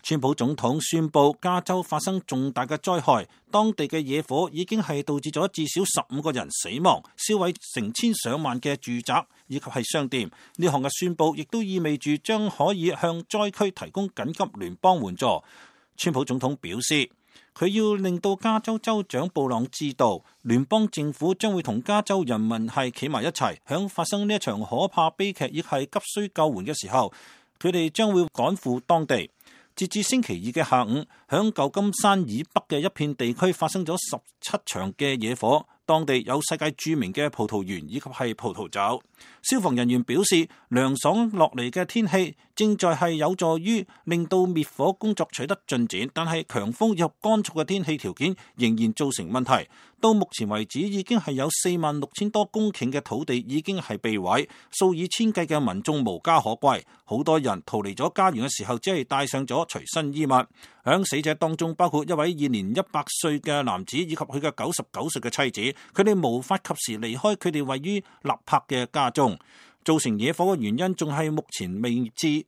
川普總統宣布加州發生重大嘅災害，當地嘅野火已經係導致咗至少15個人死亡，燒毀成千上萬嘅住宅以及係商店。呢項嘅宣布亦都意味住將可以向災區提供緊急聯邦援助。川普總統表示，佢要令到加州州長布朗知道，聯邦政府將會同加州人民係企埋一齊，響發生呢一場可怕悲劇亦係急需救援嘅時候，佢哋將會趕赴當地。截至星期二嘅下午，響舊金山以北嘅一片地區發生咗17場嘅野火，當地有世界著名嘅葡萄園以及係葡萄酒。消防人員表示，涼爽落嚟嘅天氣正在係有助於令到滅火工作取得進展，但係強風及乾燥嘅天氣條件仍然造成問題。到目前為止，已經係有46,000多公頃嘅土地已經係被毀，數以千計嘅民眾無家可歸，好多人逃離咗家園嘅時候，只係帶上咗隨身衣物。響死者當中，包括一位現年100歲嘅男子以及佢嘅99歲嘅妻子，佢哋無法及時離開佢哋位於納柏嘅家中。造成野火嘅原因仲係目前未知。